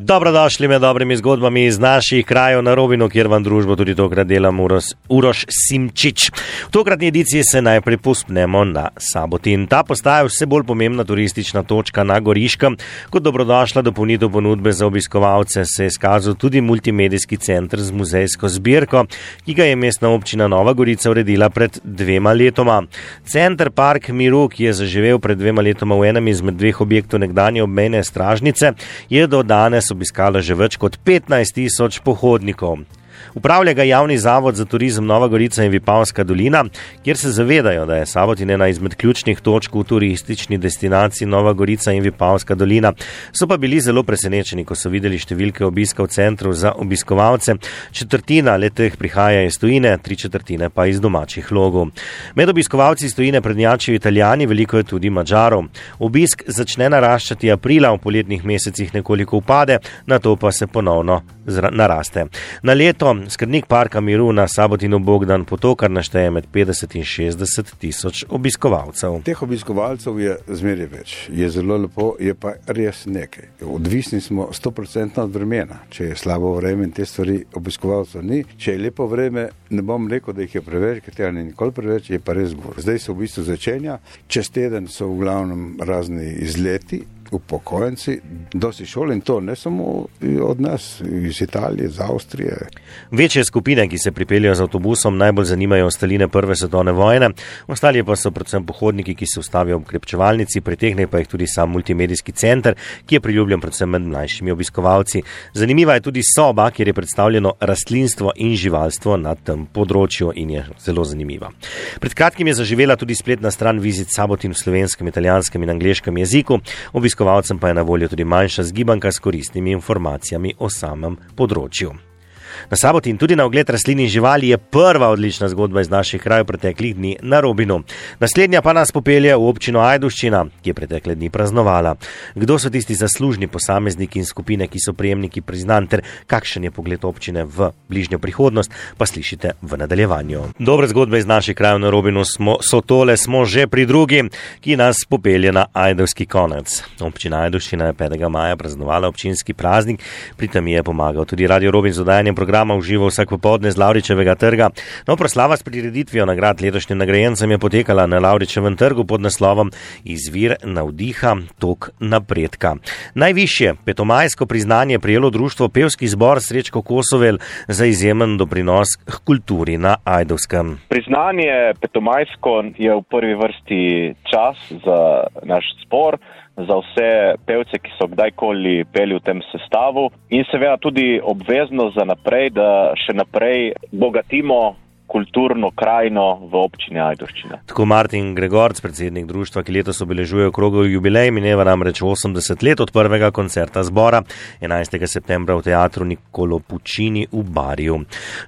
Dobrodošli med dobrimi zgodbami iz naših krajev na Robinu, kjer vam družbo tudi tokrat delam Uroš Simčič. V tokratni ediciji se najprej pospnemo na Sabotin. Ta postaja vse bolj pomembna turistična točka na Goriškem. Kot dobrodošla dopolnitev ponudbe za obiskovalce se je izkazal tudi multimedijski center z muzejsko zbirko, ki ga je mestna občina Nova Gorica uredila pred 2 letoma. Center Park Miru, ki je zaživel pred 2 letoma v enem izmed 2 objektov nekdanje obmejne stražnice, je do danes obiskala že več kot 15.000 pohodnikov. Upravlja ga javni zavod za turizem Nova Gorica in Vipavska dolina, kjer se zavedajo, da je Sabotin ena izmed ključnih točk v turistični destinaciji Nova Gorica in Vipavska dolina. So pa bili zelo presenečeni, ko so videli številke obiska v centru za obiskovalce. 1/4 letih prihaja iz tujine, 3/4 pa iz domačih logov. Med obiskovalci iz tujine prednjačijo Italijani, veliko je tudi Madžarov. Obisk začne naraščati aprila, v poletnih mesecih nekoliko upade, nato pa se ponovno naraste. Na leto skrbnik Parka Miru na Sabotinu Bogdan Potokar našteje med 50 in 60 tisoč obiskovalcev. Teh obiskovalcev je zmeraj več. Je zelo lepo, je pa res nekaj. Odvisni smo 100% od vremena. Če je slabo vreme in te stvari obiskovalcev ni. Če je lepo vreme, ne bom rekel, da jih je preveč, ker tega ni nikoli preveč, je pa res gor. Zdaj se v bistvu začenja. Čez teden so v glavnem razni izleti, upokojenci, dosti šol in to ne samo od nas, iz Italije, iz Avstrije. Večje skupine, ki se pripeljajo z avtobusom, najbolj zanimajo ostaline prve svetovne vojne, ostali pa so predvsem pohodniki, ki se ustavijo v krepčevalnici, pritegne pa jih tudi sam multimedijski center, ki je priljubljen predvsem med mlajšimi obiskovalci. Zanimiva je tudi soba, kjer je predstavljeno rastlinstvo in živalstvo na tem področju in je zelo zanimiva. Pred kratkim je zaživela tudi spletna stran Visit Sabotin v slovenskem, italijanskem in angleškem jeziku. Obiskovalcem pa je na voljo tudi manjša zgibanka s koristnimi informacijami o samem področju. Na Sabotin tudi na ogled rastlin in živali je prva odlična zgodba iz naših krajev preteklih dni na Robinu. Naslednja pa nas popelje v občino Ajdovščina, ki je pretekle dni praznovala. Kdo so tisti zaslužni posamezniki in skupine, ki so prejemniki priznanj, ter kakšen je pogled občine v bližnjo prihodnost, pa slišite v nadaljevanju. Dobre zgodbe iz naših krajev na Robinu smo že pri drugi, ki nas popelje na Ajdovski konec. Občina Ajdovščina je 5. maja praznovala občinski praznik, pri tem je pomagal tudi Radio Robin z oddajanjem programa v živo vsak popoldne z Lavričevega trga. No, proslava s prireditvijo nagrad letošnjim nagrajencem je potekala na Lavričevem trgu pod naslovom Izvir navdiha, tok napredka. Najvišje petomajsko priznanje prejelo društvo Pevski zbor Srečko Kosovel za izjemen doprinos k kulturi na Ajdovskem. Priznanje petomajsko je v prvi vrsti čas za naš zbor, za vse pevce, ki so kdajkoli peli v tem sestavu in seveda tudi obvezno za naprej, da še naprej bogatimo kulturno krajino v občini Ajdovščina. Tako Martin Gregorc, predsednik društva, ki letos obeležuje okrogel jubilej, mineva namreč 80 let od prvega koncerta zbora 11. septembra v teatru Niccolo Puccini v Barju.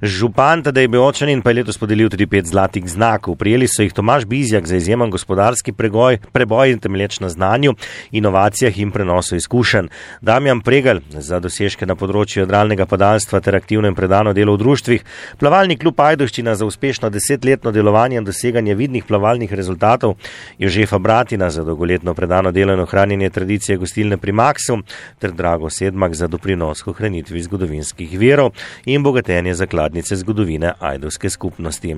Župan Tadej Beočanin pa je letos podelil tudi 5 zlatih znakov. Prijeli so jih Tomaž Bizjak za izjemen gospodarski preboj in temelječ na znanju, inovacijah in prenosu izkušenj. Damjan Pregelj za dosežke na področju jadralnega padalstva ter aktivno in predano delo v društvih. Plavalni klub Ajdovščina za uspešno 10-letno delovanje in doseganje vidnih plavalnih rezultatov, Jožefa Bratina za dolgoletno predano delo in ohranjanje tradicije gostilne pri Maksu ter Drago Sedmak za doprinos k ohranitvi zgodovinskih virov in bogatenje zakladnice zgodovine ajdovske skupnosti.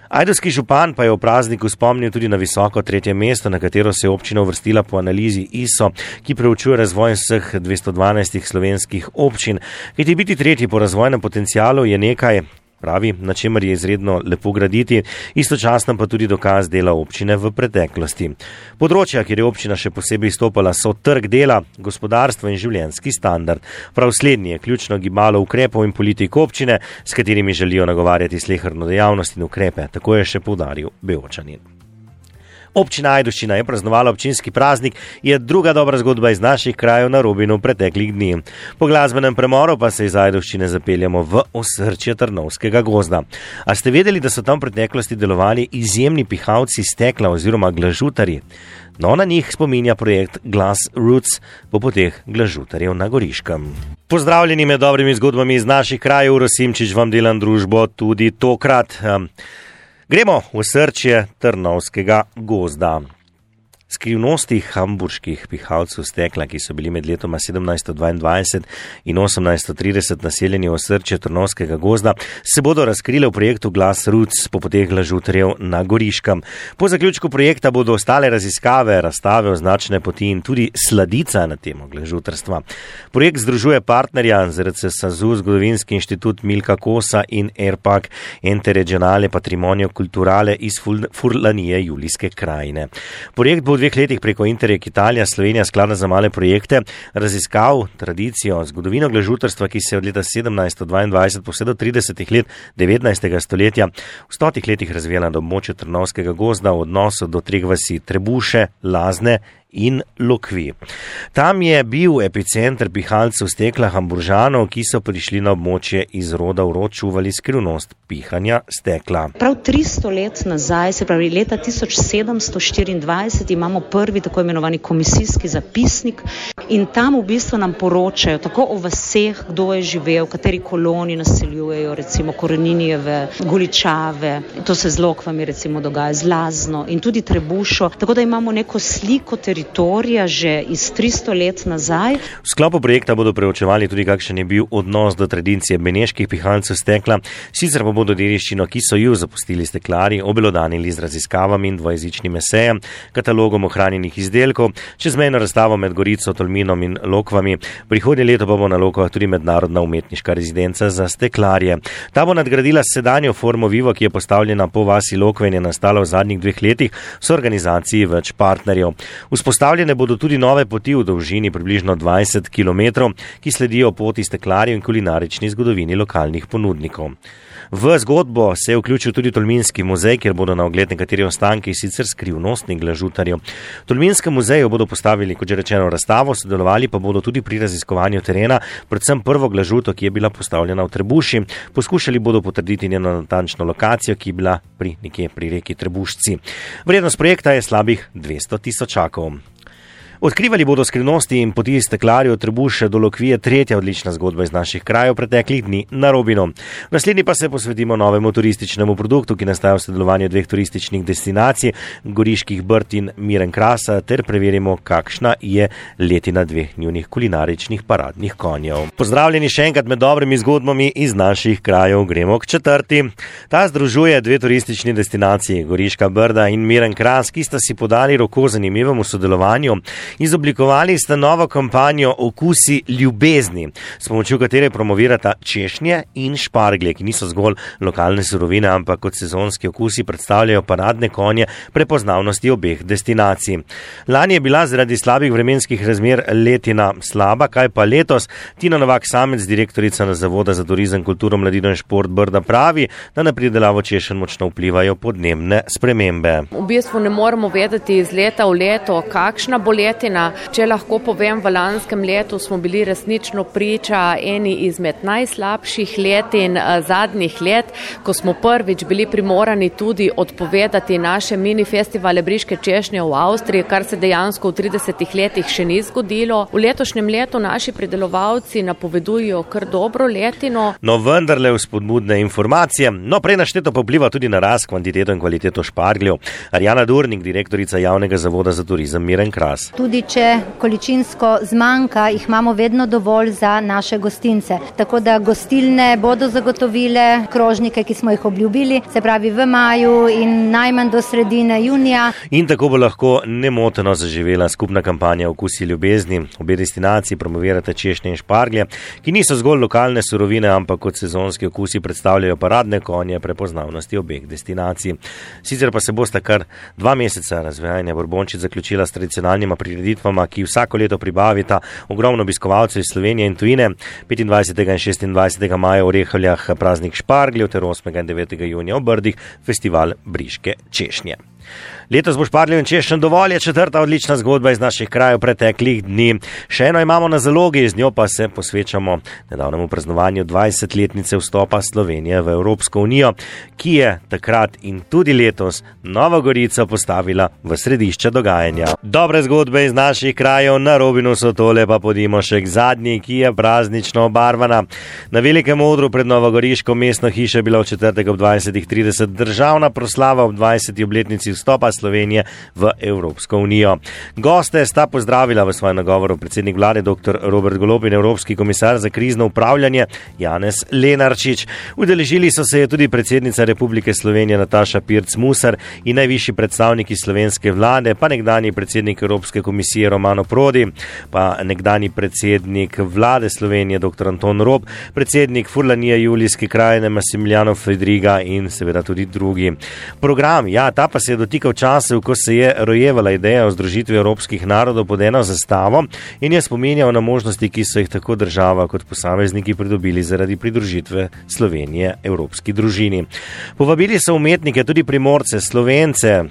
Ajdovski župan pa je v prazniku spomnil tudi na visoko 3. mesto, na katero se je občina uvrstila po analizi ISO, ki preučuje razvoj vseh 212 slovenskih občin. Kajti biti tretji po razvojnem potencialu je nekaj, pravi, na čemer je izredno lepo graditi, istočasno pa tudi dokaz dela občine v preteklosti. Področja, kjer je občina še posebej izstopala, so trg dela, gospodarstvo in življenjski standard. Prav slednji je ključno gibalo ukrepov in politik občine, s katerimi želijo nagovarjati sleherno dejavnost in ukrepe, tako je še poudaril Beočanin. Občina Ajdovščina je praznovala občinski praznik, je druga dobra zgodba iz naših krajev na Robinu preteklih dni. Po glasbenem premoru pa se iz Ajdovščine zapeljamo v osrčje Trnovskega gozda. A ste vedeli, da so tam v preteklosti delovali izjemni pihalci stekla oziroma glažutarji? No, na njih spominja projekt Glass Roots po poteh glažutarjev na Goriškem. Pozdravljeni med dobrimi zgodbami iz naših krajev, Uroš Simčič vam delam družbo tudi tokrat. Gremo v srčje Trnovskega gozda. Skrivnosti hamburških pihalcev stekla, ki so bili med letoma 1722 in 1830 naseljeni v osrčje Trnovskega gozda, se bodo razkrile v projektu Glas Roots po poteh glažutarjev na Goriškem. Po zaključku projekta bodo ostale raziskave, razstave, označene poti in tudi sladica na temo glažutarstva. Projekt združuje partnerja ZRC SAZU, Zgodovinski inštitut Milka Kosa in ERPAC Interregionale Patrimonio Culturale iz Furlanije Julijske krajine. Projekt bo v 2 letih preko Interreg Italija, Slovenija skladna za male projekte, raziskav, tradicijo, zgodovino glažutarstva, ki se je od leta 1722 pa vse do 30 let 19. stoletja v 100 letih razvijala na območju Trnovskega gozda v odnosu do 3 vasi Trebuše, Lazne in Lokvi. Tam je bil epicenter pihalcev stekla Hamburžanov, ki so prišli na območje iz roda v rod, čuvali skrivnost pihanja stekla. Prav 300 let nazaj, se pravi leta 1724, imamo prvi tako imenovani komisijski zapisnik in tam v bistvu nam poročajo tako o vaseh, kdo je živel, kateri koloni naseljujejo, recimo Koreninijeve, Goličave, to se z Lokvami recimo dogaja, z Lazno in tudi Trebušo, tako da imamo neko sliko teritorija že iz 300 let nazaj. V sklopu projekta bodo preučevali tudi, kakšen je bil odnos do tradicije beneških pihalcev stekla, sicer pa bodo dediščino, ki so ju zapustili steklarji, obelodanili z raziskavami in dvojezičnim esejem, katalogom ohranjenih izdelkov, čezmejno razstavo med Gorico, Tolminom in Lokvami. Prihodnje leto pa bo na Lokvah tudi mednarodna umetniška rezidenca za steklarje. Ta bo nadgradila sedanjo formo Vivo, ki je postavljena po vasi Lokve in je nastala v zadnjih 2 letih s organizaciji več partnerjev. Vzpostavljene bodo tudi nove poti v dolžini približno 20 km, ki sledijo poti steklarjev in kulinarični zgodovini lokalnih ponudnikov. V zgodbo se je vključil tudi Tolminski muzej, kjer bodo na ogled nekateri ostanki sicer skrivnostnih glažutarjev. V Tolminskem muzeju bodo postavili, kot že rečeno, razstavo, sodelovali pa bodo tudi pri raziskovanju terena, predvsem prvo glažuto, ki je bila postavljena v Trebuši. Poskušali bodo potrditi njeno natančno lokacijo, ki je bila nekje pri reki Trebušci. Vrednost projekta je slabih 200 tisočakov. Odkrivali bodo skrivnosti in poti steklarjev od Trebuše do Lokvije, tretja odlična zgodba iz naših krajev preteklih dni na Robinu. V naslednji pa se posvetimo novemu turističnemu produktu, ki nastaja v sodelovanju 2 turističnih destinacij, Goriških Brd in Miren Krasa, ter preverimo, kakšna je letina 2 njunih kulinaričnih paradnih konjev. Pozdravljeni še enkrat med dobrimi zgodbami iz naših krajev, gremo k 4. Ta združuje 2 turistični destinaciji, Goriška Brda in Miren Kras, ki sta si podali roko zanimivemu sodelovanju. Izoblikovali sta novo kampanjo Okusi ljubezni, s pomočjo katere promovirata češnje in šparglje, ki niso zgolj lokalne surovine, ampak kot sezonski okusi predstavljajo paradne konje prepoznavnosti obeh destinacij. Lani je bila zaradi slabih vremenskih razmer letina slaba, kaj pa letos? Tina Novak Samec, direktorica na Zavoda za turizem, kulturo, mladino in šport Brda, pravi, da na pridelavo češenj močno vplivajo podnebne spremembe. V bistvu ne moremo vedeti iz leta v leto, kakšna bo letina. Če lahko povem, v lanskem letu smo bili resnično priča eni izmed najslabših letin zadnjih let, ko smo prvič bili primorani tudi odpovedati naše mini festivale Briške češnje v Avstriji, kar se dejansko v 30 letih še ni zgodilo. V letošnjem letu naši pridelovalci napovedujejo kar dobro letino. No, vendarle vzpodbudne informacije. No, prej našteto pa vpliva tudi na rast, kvantiteto in kvaliteto špargljev. Arjana Durnik, direktorica javnega zavoda za turizem Miren Kras. Tudi če količinsko zmanjka, jih imamo vedno dovolj za naše gostince. Tako da gostilne bodo zagotovile krožnike, ki smo jih obljubili, se pravi v maju in najmanj do sredine junija. In tako bo lahko nemoteno zaživela skupna kampanja Okusi ljubezni. Obe destinaciji promovirate češnje in šparglje, ki niso zgolj lokalne surovine, ampak kot sezonski okusi predstavljajo paradne konje prepoznavnosti obeh destinacij. Sicer pa se bosta kar 2 meseca razvijanja Borbončic zaključila s tradicionalnima prireditvama, ki vsako leto pribavita ogromno obiskovalcev iz Slovenije in tujine. 25. in 26. maja v Rehavljah praznik špargljev ter 8. in 9. junija v Brdih festival Briške češnje. Letos bo špargljev in češenj dovolj, je 4. odlična zgodba iz naših krajev preteklih dni. Še eno imamo na zalogi, z njo pa se posvečamo nedavnemu praznovanju 20-letnice vstopa Slovenije v Evropsko unijo, ki je takrat in tudi letos Novo Gorico postavila v središče dogajanja. Dobre zgodbe iz naših krajev na Robinu so tole, pa podimo še k zadnji, ki je praznično obarvana. Na velikem odru pred Novogoriško mestno hišo je bila v četrtek ob 20:30 državna proslava ob 20. obletnici vstopa Slovenije v Evropsko unijo. Goste sta pozdravila v svojem nagovoru predsednik vlade dr. Robert Golob in evropski komisar za krizno upravljanje Janez Lenarčič. Udeležili so se je tudi predsednica Republike Slovenije Nataša Pirc-Musar in najvišji predstavniki slovenske vlade, pa nekdanji predsednik Evropske komisije Romano Prodi, pa nekdanji predsednik vlade Slovenije dr. Anton Rob, predsednik Furlanije Julijske krajine Massimiliano Fedriga in seveda tudi drugi. Program, ta pa se je dotikal časov, ko se je rojevala ideja o združitvi evropskih narodov pod eno zastavo in je spominjal na možnosti, ki so jih tako država kot posamezniki pridobili zaradi pridružitve Slovenije evropski družini. Povabili so umetnike, tudi Primorce, Slovence,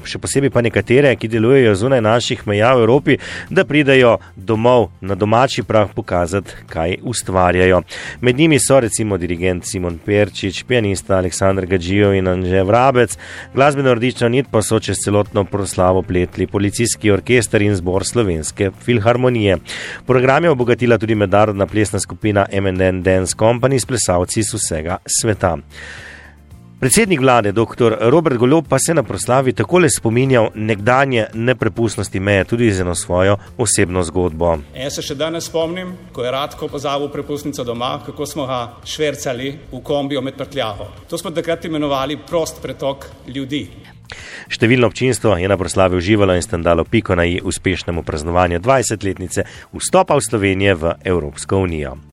še posebej pa nekatere, ki delujejo zunaj naših meja v Evropi, da pridejo domov na domači prah pokazati, kaj ustvarjajo. Med njimi so recimo dirigent Simon Perčič, pianista Aleksandar Gadžijo in Anže Vrabec, glasbeno rdično nit pa so čez celotno proslavo pletli policijski orkester in zbor Slovenske filharmonije. Program je obogatila tudi mednarodna plesna skupina M&N Dance Company s plesalci iz vsega sveta. Predsednik vlade dr. Robert Golob pa se na proslavi takole spominjal nekdanje neprepustnosti meje, tudi z eno svojo osebno zgodbo. Jaz se še danes spomnim, ko je Radko pozabil prepustnico doma, kako smo ga švercali v kombiju med prtljago. To smo takrat imenovali prost pretok ljudi. Številno občinstvo je na proslavi uživalo in s tem dalo piko na i uspešnemu praznovanju 20-letnice vstopa v Slovenije v Evropsko unijo.